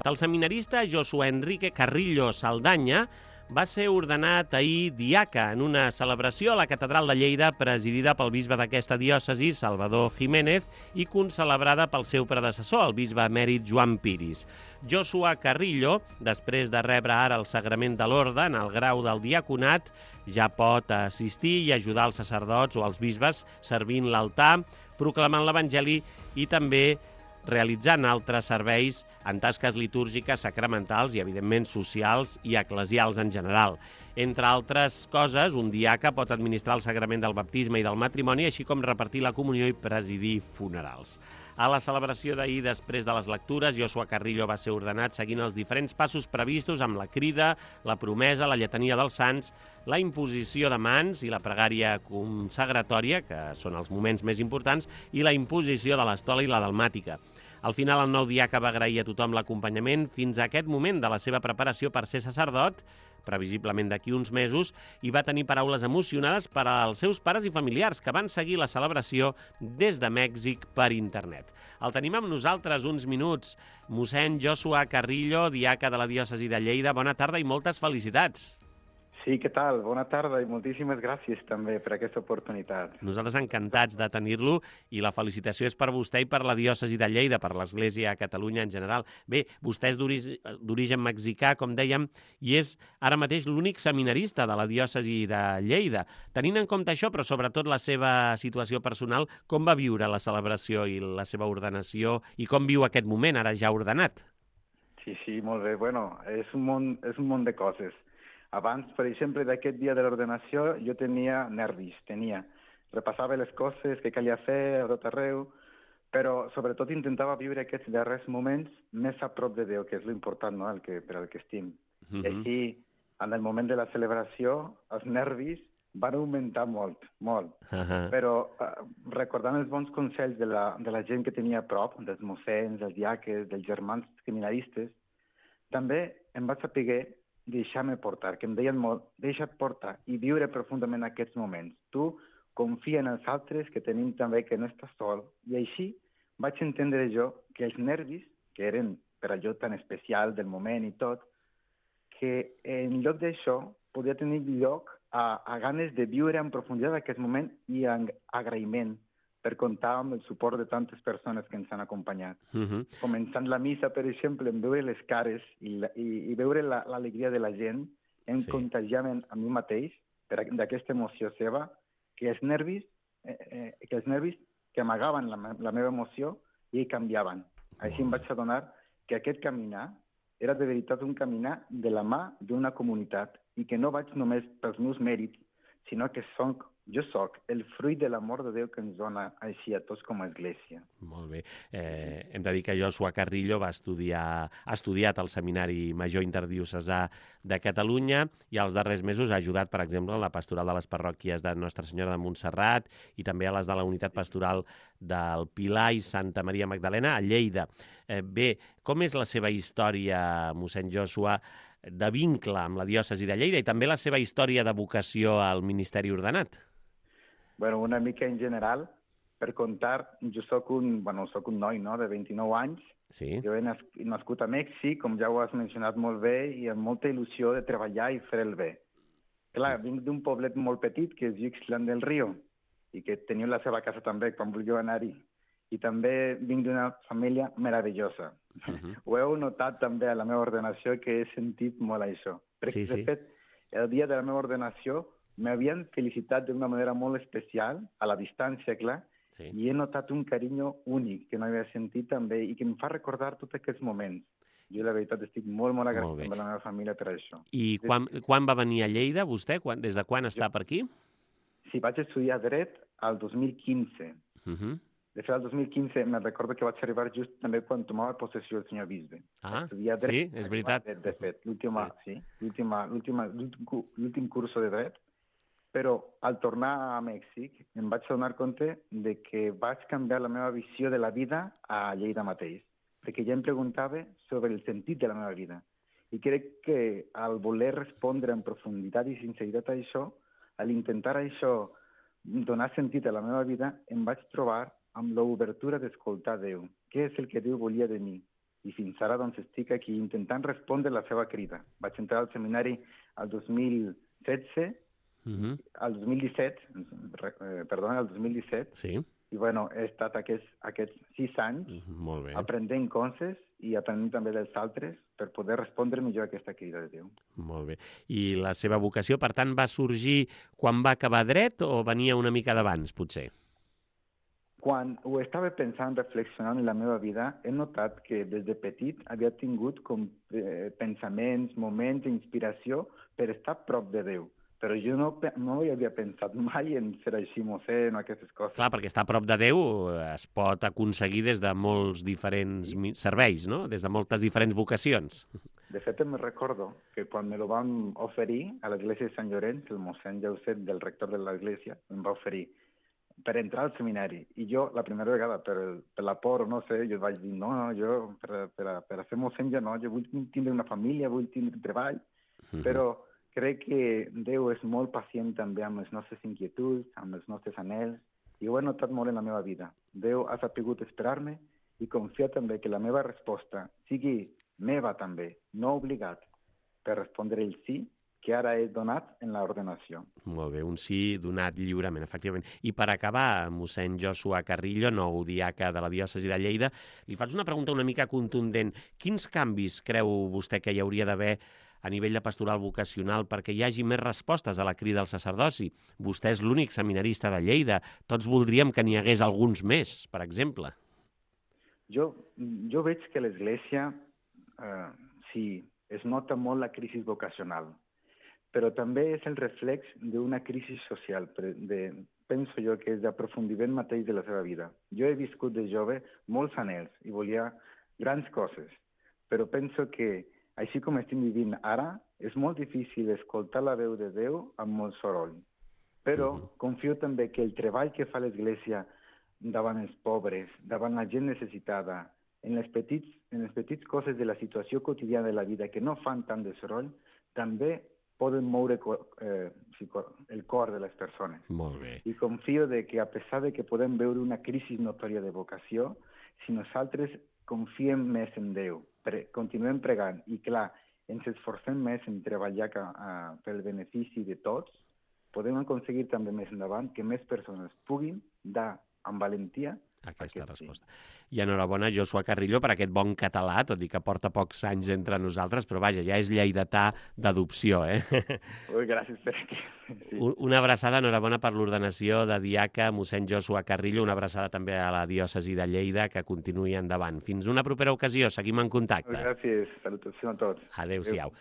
El seminarista Josué Enrique Carrillo Saldaña va ser ordenat ahir diaca en una celebració a la Catedral de Lleida presidida pel bisbe d'aquesta diòcesi, Salvador Jiménez, i concelebrada pel seu predecessor, el bisbe emèrit Joan Piris. Josué Carrillo, després de rebre ara el sagrament de l'orde en el grau del diaconat, ja pot assistir i ajudar els sacerdots o els bisbes servint l'altar, proclamant l'Evangeli i també realitzant altres serveis en tasques litúrgiques, sacramentals i, evidentment, socials i eclesials en general. Entre altres coses, un diaca pot administrar el sagrament del baptisme i del matrimoni, així com repartir la comunió i presidir funerals. A la celebració d'ahir, després de les lectures, Josué Carrillo va ser ordenat seguint els diferents passos previstos amb la crida, la promesa, la lletania dels sants, la imposició de mans i la pregària consagratòria, que són els moments més importants, i la imposició de l'estola i la dalmàtica. Al final, el nou diaca va agrair a tothom l'acompanyament fins a aquest moment de la seva preparació per ser sacerdot, previsiblement d'aquí uns mesos, i va tenir paraules emocionades per als seus pares i familiars que van seguir la celebració des de Mèxic per internet. El tenim amb nosaltres uns minuts. Mossèn Josué Carrillo, diaca de la diòcesi de Lleida. Bona tarda i moltes felicitats. Sí, què tal? Bona tarda i moltíssimes gràcies també per aquesta oportunitat. Nosaltres encantats de tenir-lo i la felicitació és per vostè i per la diòcesi de Lleida, per l'Església a Catalunya en general. Bé, vostè és d'origen mexicà, com dèiem, i és ara mateix l'únic seminarista de la diòcesi de Lleida. Tenint en compte això, però sobretot la seva situació personal, com va viure la celebració i la seva ordenació i com viu aquest moment, ara ja ordenat? Sí, molt bé. Bueno, és un món de coses. Abans, per exemple, d'aquest dia de l'ordenació, jo tenia nervis, repassava les coses que calia fer a tot arreu, però sobretot intentava viure aquests darrers moments més a prop de Déu, que és l'important, no?, per al que estim. I així, en el moment de la celebració, els nervis van augmentar molt. Però recordant els bons consells de la gent que tenia a prop, dels mossens, dels diaques, dels germans seminaristes, també em vaig saber deixar-me portar, que em deien molt, deixa't portar i viure profundament aquests moments. Tu confia en els altres, que tenim també que no estàs sol. I així vaig entendre jo que els nervis, que eren per allò tan especial del moment i tot, que en lloc d'això podia tenir lloc a ganes de viure en profunditat aquest moment i en agraïment per comptar amb el suport de tantes persones que ens han acompanyat. Començant la missa, per exemple, en veure les cares i veure l'alegria de la gent, em contagiava a mi mateix d'aquesta emoció seva, que els nervis que amagaven la meva emoció i canviaven. Així em vaig adonar que aquest caminar era de veritat un caminar de la mà d'una comunitat i que no vaig només pels meus mèrits, sinó que jo soc el fruit de l'amor de Déu que ens dona així a tots com a Església. Molt bé. Hem de dir que Josué Carrillo ha estudiat al Seminari Major Interdiocesà de Catalunya i als darrers mesos ha ajudat, per exemple, en la pastoral de les parròquies de Nostra Senyora de Montserrat i també a les de la unitat pastoral del Pilar i Santa Maria Magdalena a Lleida. Bé, com és la seva història, mossèn Josué, de vincle amb la diòcesi de Lleida i també la seva història de vocació al ministeri ordenat? Bueno, una mica en general, per contar, jo soc un noi, no?, de 29 anys. Sí. Jo he nascut a Mèxic, com ja ho has mencionat molt bé, i amb molta il·lusió de treballar i fer el bé. Clar, vinc d'un poblet molt petit, que és Ixtlán del Río, i que teniu la seva casa també, quan vulgueu anar-hi. I també vinc d'una família meravellosa. Ho heu notat també a la meva ordenació, que he sentit molt això. Perquè, de fet, el dia de la meva ordenació m'havien felicitat d'una manera molt especial, a la distància, clar, i he notat un carinyo únic que no havia sentit també i que em fa recordar tots aquests moments. Jo, la veritat, estic molt agraït amb la meva família per això. I quan va venir a Lleida, vostè? Des de quan està per aquí? Sí, vaig estudiar dret al 2015. De fet, al 2015 me'n recordo que vaig arribar just també quan tomava possessió el senyor bisbe. Sí, és veritat. De fet, l'últim curso de dret. Però al tornar a Mèxic em vaig donar compte de que vaig canviar la meva visió de la vida a Lleida mateix, perquè ja em preguntava sobre el sentit de la meva vida. I crec que al voler respondre en profunditat i sinceritat a això, al intentar això donar sentit a la meva vida, em vaig trobar amb l'obertura d'escoltar Déu. Què és el que Déu volia de mi? i fins ara doncs, estic aquí intentant respondre la seva crida. Vaig entrar al seminari al 2016, al 2017, al 2017, Sí. i bueno, he estat aquests 6 anys Molt bé. aprenent coses i aprenent també dels altres per poder respondre millor a aquesta crida de Déu. Molt bé. I la seva vocació, per tant, va sorgir quan va acabar dret o venia una mica d'abans, potser? Quan ho estava pensant, reflexionant en la meva vida, he notat que des de petit havia tingut com pensaments, moments d'inspiració per estar a prop de Déu. Però jo no hi havia pensat mai en ser així mossèn o aquestes coses. Clar, perquè estar a prop de Déu es pot aconseguir des de molts diferents serveis, no? Des de moltes diferents vocacions. De fet, me recordo que quan me lo van oferir a l'església de Sant Llorenç, el mossèn Jauset, del rector de l'església, em va oferir per entrar al seminari. I jo, la primera vegada, per la por, no sé, jo vaig dir, no, jo per a ser mossèn ja no, jo vull tindre una família, vull tindre treball, però crec que Déu és molt pacient també amb les nostres inquietuds, amb els nostres anhels, i ho he notat molt en la meva vida. Déu ha sapigut esperar-me i confiar també que la meva resposta sigui meva també, no obligat, per respondre el sí que ara he donat en l'ordenació. Molt bé, un sí donat lliurement, efectivament. I per acabar, mossèn Joshua Carrillo, nou diaca de la diòcesi de Lleida, li faig una pregunta una mica contundent. Quins canvis creu vostè que hi hauria d'haver a nivell de pastoral vocacional perquè hi hagi més respostes a la crida al sacerdoci? Vostè és l'únic seminarista de Lleida. Tots voldríem que n'hi hagués alguns més, per exemple. Jo veig que l'Església, sí, es nota molt la crisi vocacional, però també és el reflex d'una crisi social, penso jo que és d'aprofundiment mateix de la seva vida. Jo he viscut de jove molts anhels i volia grans coses, però penso que, així com estem vivint ara, és molt difícil escoltar la veu de Déu amb molt soroll. Però confio també que el treball que fa l'Església davant els pobres, davant la gent necessitada, en les petites coses de la situació quotidiana de la vida que no fan tant de soroll, també poden moure el cor de les persones. Molt bé. I confio que a pesar de que podem veure una crisi notòria de vocació, si nosaltres confiem més en Déu, continuem pregant i, clar, ens esforcem més en treballar pel benefici de tots, podem aconseguir també més endavant que més persones puguin dar amb valentia aquesta resposta. I enhorabona, Joshua Carrillo, per aquest bon català, tot i que porta pocs anys entre nosaltres, però vaja, ja és lleidatà d'adopció, eh? Ui, gràcies per aquí. Sí. Una abraçada, enhorabona per l'ordenació de diaca, mossèn Joshua Carrillo, una abraçada també a la diòcesi de Lleida, que continuï endavant. Fins una propera ocasió, seguim en contacte. Gràcies, salutació a tots. Adéu-siau.